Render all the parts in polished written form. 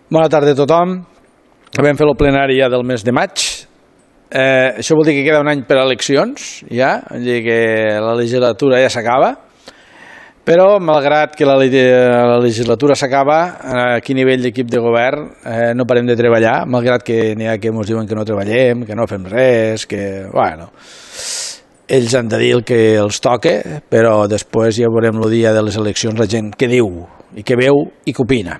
Bona tarda a tothom. Vam fer el plenari ja del mes de maig. Això vol dir que queda un any per a eleccions, ja, vol dir que la legislatura ja s'acaba, però malgrat que la legislatura s'acaba, aquí a nivell d'equip de govern no parem de treballar, malgrat que n'hi ha que ens diuen que no treballem, que no fem res, que, bueno, ells han de dir el que els toca, però després ja veurem el dia de les eleccions la gent què diu, i què veu i què opina.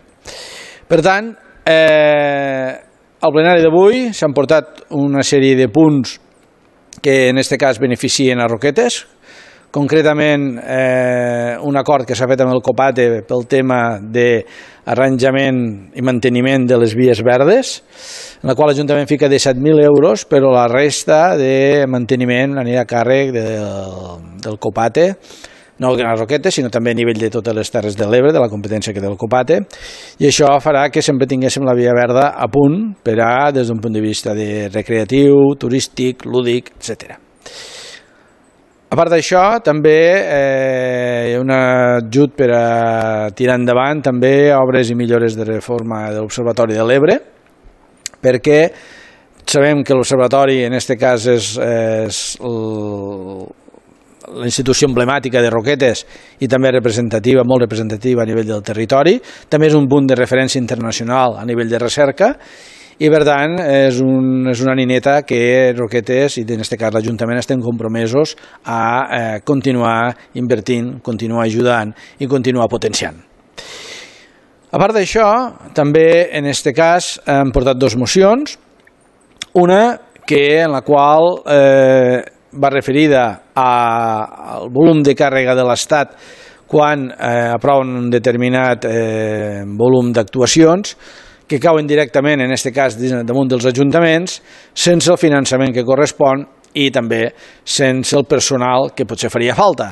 Per tant, al plenari d'avui s'han portat una sèrie de punts que en aquest cas beneficien a Roquetes, concretament un acord que s'ha fet amb el COPATE pel tema d'arranjament i manteniment de les vies verdes, en la qual l'Ajuntament fica 17.000 euros, però la resta de manteniment anirà a càrrec del COPATE, no a Roquetes, sinó també a nivell de totes les Terres de l'Ebre, de la competència que té el COPATE, i això farà que sempre tinguéssim la via verda a punt per a, des d'un punt de vista de recreatiu, turístic, lúdic, etc. A part d'això, també hi ha un ajut per a tirar endavant també obres i millores de reforma de l'Observatori de l'Ebre, perquè sabem que l'Observatori en aquest cas és la institució emblemàtica de Roquetes i també representativa, molt representativa a nivell del territori, també és un punt de referència internacional a nivell de recerca i per tant és una nineta que Roquetes i en aquest cas l'Ajuntament estem compromesos a continuar invertint, continuar ajudant i continuar potenciant. A part d'això, també en aquest cas hem portat dues mocions, una en la qual va referida al volum de càrrega de l'Estat quan aproven un determinat volum d'actuacions que cauen directament, en aquest cas, damunt dels ajuntaments, sense el finançament que correspon i també sense el personal que potser faria falta.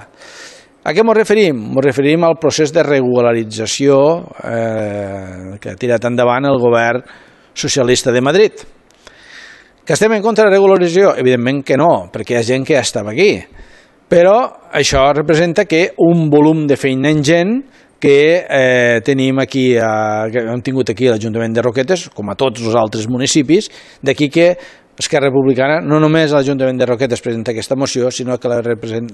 A què ens referim? Ens referim al procés de regularització que ha tirat endavant el govern socialista de Madrid. Que estem en contra de la regularització? Evidentment que no, perquè hi ha gent que ja estava aquí. Però això representa que un volum de feina ingent que tenim aquí, que hem tingut aquí a l'Ajuntament de Roquetes, com a tots els altres municipis, d'aquí que Esquerra Republicana no només a l'Ajuntament de Roquetes presenta aquesta moció, sinó que la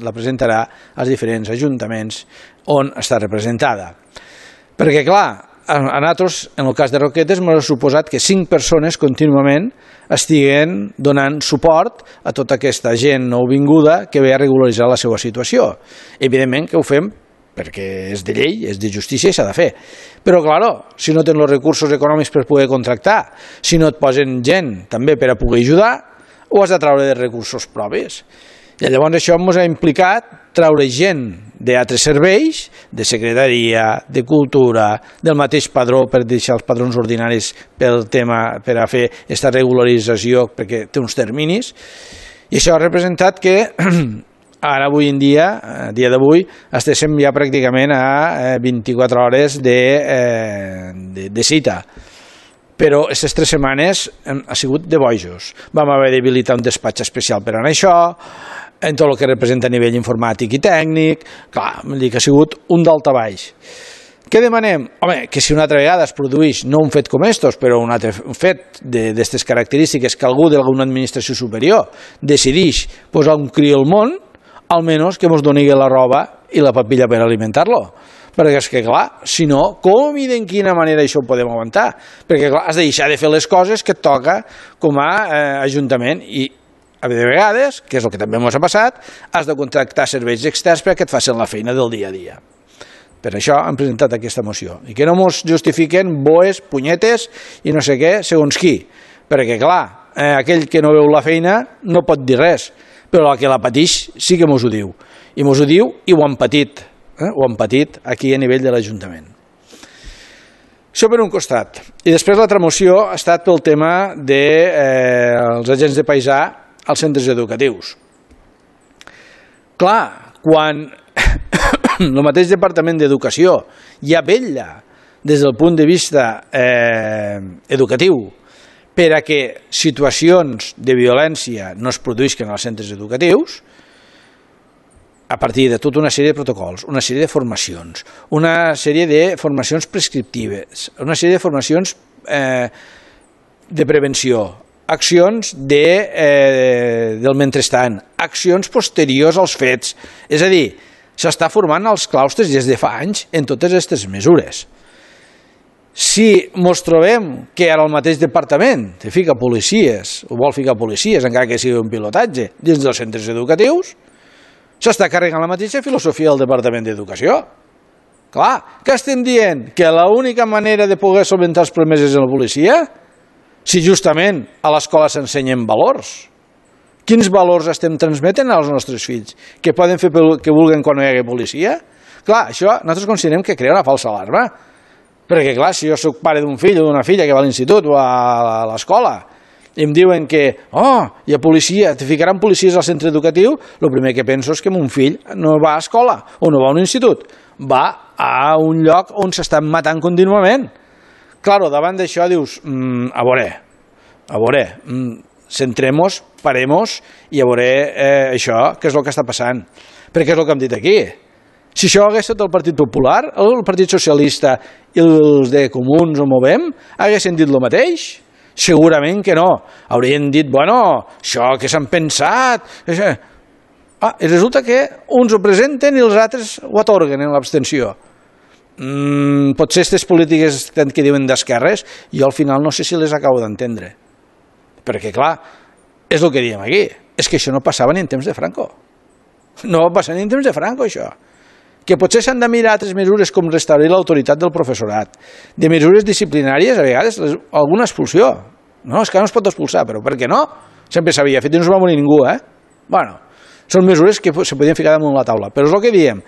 presentarà als diferents ajuntaments on està representada. Perquè, clar, a nosaltres, en el cas de Roquetes, m'ha suposat que 5 persones contínuament estiguen donant suport a tota aquesta gent nouvinguda que ve a regularitzar la seva situació. Evidentment que ho fem perquè és de llei, és de justícia i s'ha de fer. Però, clar, si no tens els recursos econòmics per poder contractar, si no et posen gent també per a poder ajudar, ho has de treure de recursos propis. I llavors això ens ha implicat treure gent d'altres serveis, de secretaria, de cultura, del mateix padró per deixar els padrons ordinaris pel tema per a fer aquesta regularització perquè té uns terminis. I això ha representat que ara avui en dia, a dia d'avui, estéssim ja pràcticament a 24 hores de cita. Però aquestes 3 setmanes ha sigut de bojos. Vam haver d'habilitar un despatx especial per anar a això, en tot el que representa a nivell informàtic i tècnic, clar, que ha sigut un daltabaix. Què demanem? Home, que si una altra vegada es produeix, no un fet com estos, però un altre fet d'aquestes característiques, que algú d'alguna administració superior decideix posar un criu al món, almenys que ens doni la roba i la papilla per alimentar-lo. Perquè és que, clar, si no, com i de quina manera això ho podem aguantar? Perquè, clar, has de deixar de fer les coses que et toca com a ajuntament i de vegades, que és el que també ens ha passat, has de contractar serveis externs perquè et facin la feina del dia a dia. Per això hem presentat aquesta moció. I que no ens justifiquen boes, punyetes i no sé què, segons qui. Perquè, clar, aquell que no veu la feina no pot dir res, però el que la pateix sí que ens ho diu. I ens ho diu i ho han patit. Ho han patit aquí a nivell de l'Ajuntament. Això per un costat. I després l'altra moció ha estat pel tema dels agents de paisà als centres educatius. Clar, quan el mateix Departament d'Educació ja vetlla des del punt de vista educatiu per a que situacions de violència no es produïsquen als centres educatius, a partir de tota una sèrie de protocols, una sèrie de formacions, una sèrie de formacions prescriptives, una sèrie de formacions de prevenció, accions del mentrestant, accions posteriors als fets. És a dir, s'està formant els claustres des de fa anys en totes aquestes mesures. Si ens trobem que ara el mateix departament te fica policies, o vol ficar policies, encara que sigui un pilotatge, dins dels centres educatius, s'està carregant la mateixa filosofia del Departament d'Educació. Clar, què estem dient? Que l'única manera de poder solventar els problemes és la policia? Si justament a l'escola s'ensenyen valors. Quins valors estem transmetent als nostres fills? Que poden fer el que vulguin quan no hi hagi policia? Clar, això nosaltres considerem que crea una falsa alarma. Perquè, clar, si jo soc pare d'un fill o d'una filla que va a l'institut o a l'escola i em diuen que, hi ha policia, te ficaran policies al centre educatiu, el primer que penso és que mon fill no va a escola o no va a un institut, va a un lloc on s'estan matant contínuament. Claro, davant d'això dius, a veure, centrem-nos, parem-nos i a veure això, què és el que està passant. Perquè és el que hem dit aquí. Si això hagués estat el Partit Popular, el Partit Socialista i els de Comuns o Movem, haguessin dit el mateix? Segurament que no. Haurien dit, bueno, això que s'han pensat... I resulta que uns ho presenten i els altres ho atorguen en l'abstenció. Potser aquestes polítiques que diuen d'esquerres, jo al final no sé si les acabo d'entendre. Perquè, clar, és el que diem aquí. És que això no passava ni en temps de Franco. No va passar ni en temps de Franco, això. Que potser s'han de mirar altres mesures com restaurar l'autoritat del professorat, de mesures disciplinàries, a vegades alguna expulsió. No, és que no es pot expulsar, però per què no? Sempre s'havia fet i no es va morir ningú, Bueno, són mesures que se podien ficar damunt la taula, però és el que diem.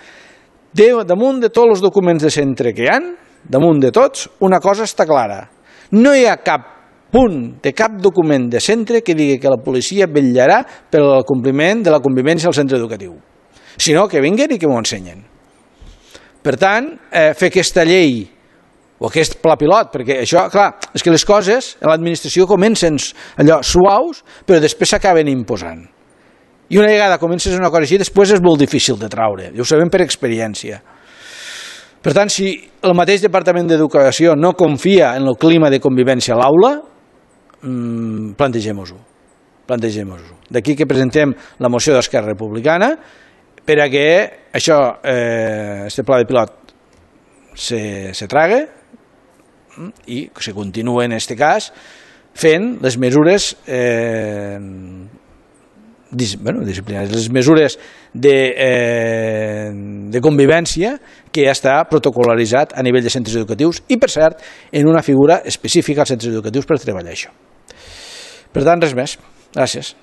Damunt de tots els documents de centre que hi ha, damunt de tots, una cosa està clara. No hi ha cap punt de cap document de centre que digui que la policia vetllarà pel compliment de la convivència al centre educatiu, sinó que vinguen i que m'ho ensenyen. Per tant, fer aquesta llei o aquest pla pilot, perquè això, clar, és que les coses en l'administració comencen allò suaus, però després s'acaben imposant. I una vegada comences una cosa així, després és molt difícil de traure, i ho sabem per experiència. Per tant, si el mateix Departament d'Educació no confia en el clima de convivència a l'aula, plantegem-ho. D'aquí que presentem la moció d'Esquerra Republicana, per a que això, este pla de pilot, se trague i se continuï en aquest cas fent les mesures disciplinàries, les mesures de convivència que ja està protocol·laritzat a nivell de centres educatius i, per cert, en una figura específica als centres educatius per treballar això. Per tant, res més. Gràcies.